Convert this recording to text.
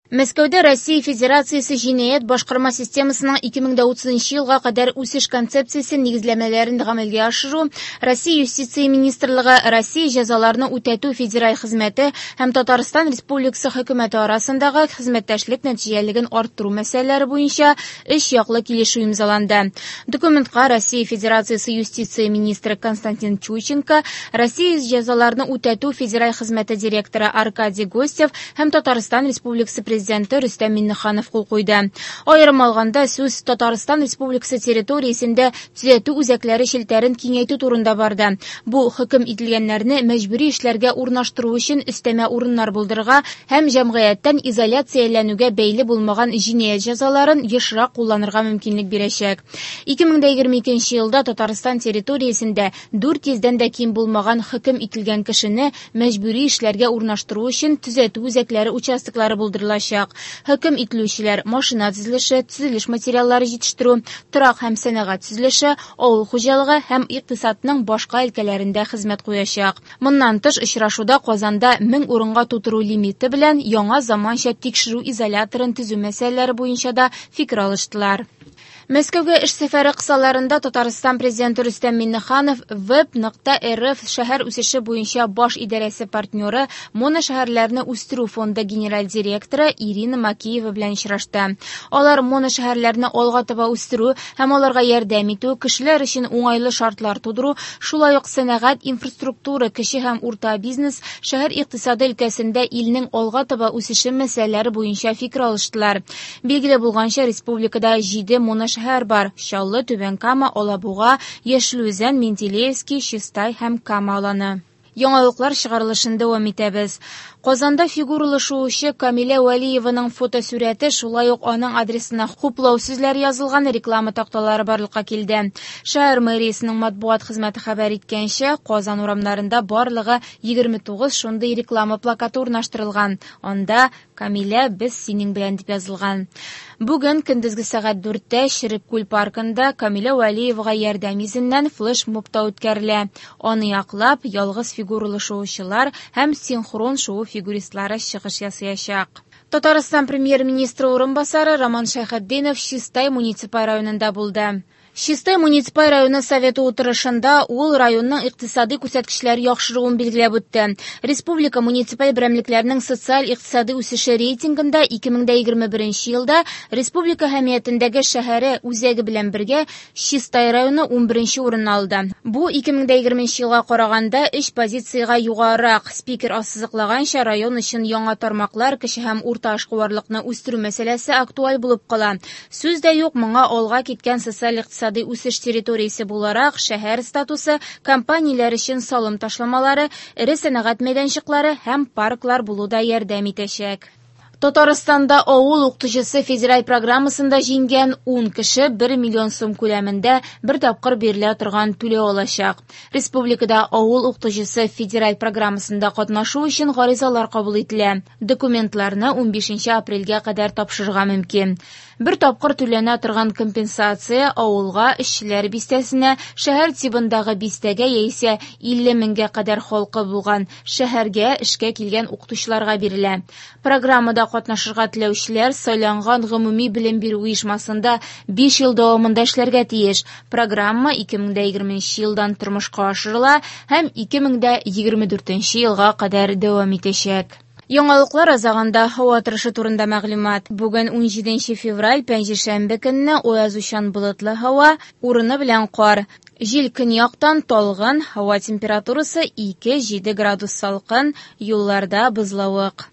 Мәскәүдә Россия Федерациясе җинаять башкарма системасының 2030 елга кадәр үсеш концепциясе нигезләмәләрен гамәлгә ашыру, Россия Юстиция министрлыгы, Россия җәзаларны үтәтү федераль хезмәте һәм Татарстан Республикасы Хөкүмәте арасындагы хезмәттәшлек нәтиҗәлелеген арттыру мәсьәләләре буенча өч яклы килешү имзаланды. Документка Россия Федерациясе юстиция министры Константин Чуйченко, Россия җәзаларны үтәтү федераль хезмәте директоры Аркадий Гостев һәм Татарстан Республикасы Президенты Рөстәм Миңнеханов кул куйды. Аерым алганда, сүз Татарстан Республикасы территориясендә төзәтү үзәкләре челтәрен киңәйтү турында барды. Бу хөкем ителгәннәрне мәҗбүри эшләргә урнаштыру өчен өстәмә урыннар булдырырга һәм җәмгыятьтән изоляцияләнүгә бәйле булмаган җинаять җәзаларын ешрак кулланырга мөмкинлек бирәчәк. 2022 елда Татарстан территориясендә 400 дән дә ким булмаган хөкем ителгән кешене мәҗбүри эшләргә урнаштыру өчен төзәтү үзәкләре участоклары булдырылачак. Хөкем ителүчеләр машина төзелеше, төзелеш материаллары җитештерү, торак һәм сәнәгать төзелеше, авыл хуҗалыгы һәм икътисадның башка өлкәләрендә хезмәт куячак. Моннан тыш, очрашуда Казанда 1000 урынга тутыру лимиты белән яңа заманча тикшерү изоляторын төзү мәсьәләләре буенча да фикер алыштылар. Мәскәүгә эш сәфәре кысаларында Татарстан Президенты Рөстәм Миңнеханов Web.rf шәһәр үсеше буенча баш идарәсе партнеры, моношәһәрләрне үстерү фонды генераль директоры Ирина Макеева белән очрашты. Алар моношәһәрләрне алга таба үстерү һәм аларга ярдәм итү, кешеләр өчен уңайлы шартлар тудыру, шулай ук сәнәгать, инфраструктура, кече һәм урта бизнес, шәһәр икътисады өлкәсендә илнең алга таба үсеше мәсьәләләре буенча фикер алыштылар. Билгеле булганча, республикада 7 моношәһәр бар: Чаллы, Түбән Кама, Алабуга, Яшел Үзән, Менделеевский, Чистай һәм Кама Аланы. Яңалыклар чыгарылышын дәвам итәбез. Казанда фигуралы шуучы Камилә Вәлиеваның фотосурәте, шулай ук аның адресына хуплау сүзләре язылган реклама такталары барлыкка килде. Шәһәр мэриясенең матбугат хезмәте хәбәр иткәнчә, Казан урамнарында барлыгы 29 шундый реклама плакаты урнаштырылган. Анда Камилә, без синең белән дип язылган. Бүген көндезге сәгать 4-тә Черек паркында Камилә Вәлиевага ярдәм йөзеннән флешмоб та үткәрелә. Аны яклап, ялгыз фигуралы шуучылар һәм синхрон шуу фигуристлары чыгыш ясаячак. Татарстан премьер-министры урынбасары Роман Шәйхетдинов Чистай муниципаль районында булды. Чистай муниципаль районы советы утырышында ул районның икътисади күрсәткечләре яхшыруын билгеләп үтте. Республика муниципаль берәмлекләренең социаль-икътисади үсеше рейтингында 2021 елда республика әһәмиятендәге шәһәре үзәге белән бергә Чистай районы 11 урынны алды. Бу 2020 елга караганда 3 позициягә югарырак. Спикер ассызыклаганча, район өчен яңа тармаклар, кече һәм урта эшкуарлыкны үстерү мәсьәләсе актуаль булып кала. Сүз дә юк, моңа алга киткән социаль-икътисади үсеш территориясе буларак шәһәр статусы, компанияләр өчен салым ташламалары, эре сәнәгать мәйданчыклары һәм парклар булу да ярдәм итәчәк. Татарстанда авыл укытучысы федераль программасында җиңгән 10 кеше 1 миллион сум күләмендә бер тапкыр бирелә торган түләү алачак. Республикада авыл укытучысы федераль программасында катнашу өчен гаризалар кабул ителә. Документларны 15 апрельгә кадәр тапшырырга мөмкин. Бер тапкыр түләнә торган компенсация авылга, эшчеләр бистәсенә, шәһәр тибындагы бистәгә яисә 50 меңгә кадәр халкы булган шәһәргә эшкә килгән укытучыларга бирелә. Программада катнашырга теләүчеләр сайланган гомуми белем бирү оешмасында 5 ел дәвамында эшләргә тиеш. Программа 2020 елдан тормышка ашырыла һәм 2024 елга кадәр дәвам итәчәк. Яңалыклар азагында һава торышы турында мәгълүмат. Бүген 17 февраль, пәнҗешәмбе көнне аязучан болытлы һава, урыны белән кар. Җил көньяктан талгын, һава температурасы 2-7 градус салкын, юлларда бозлавык.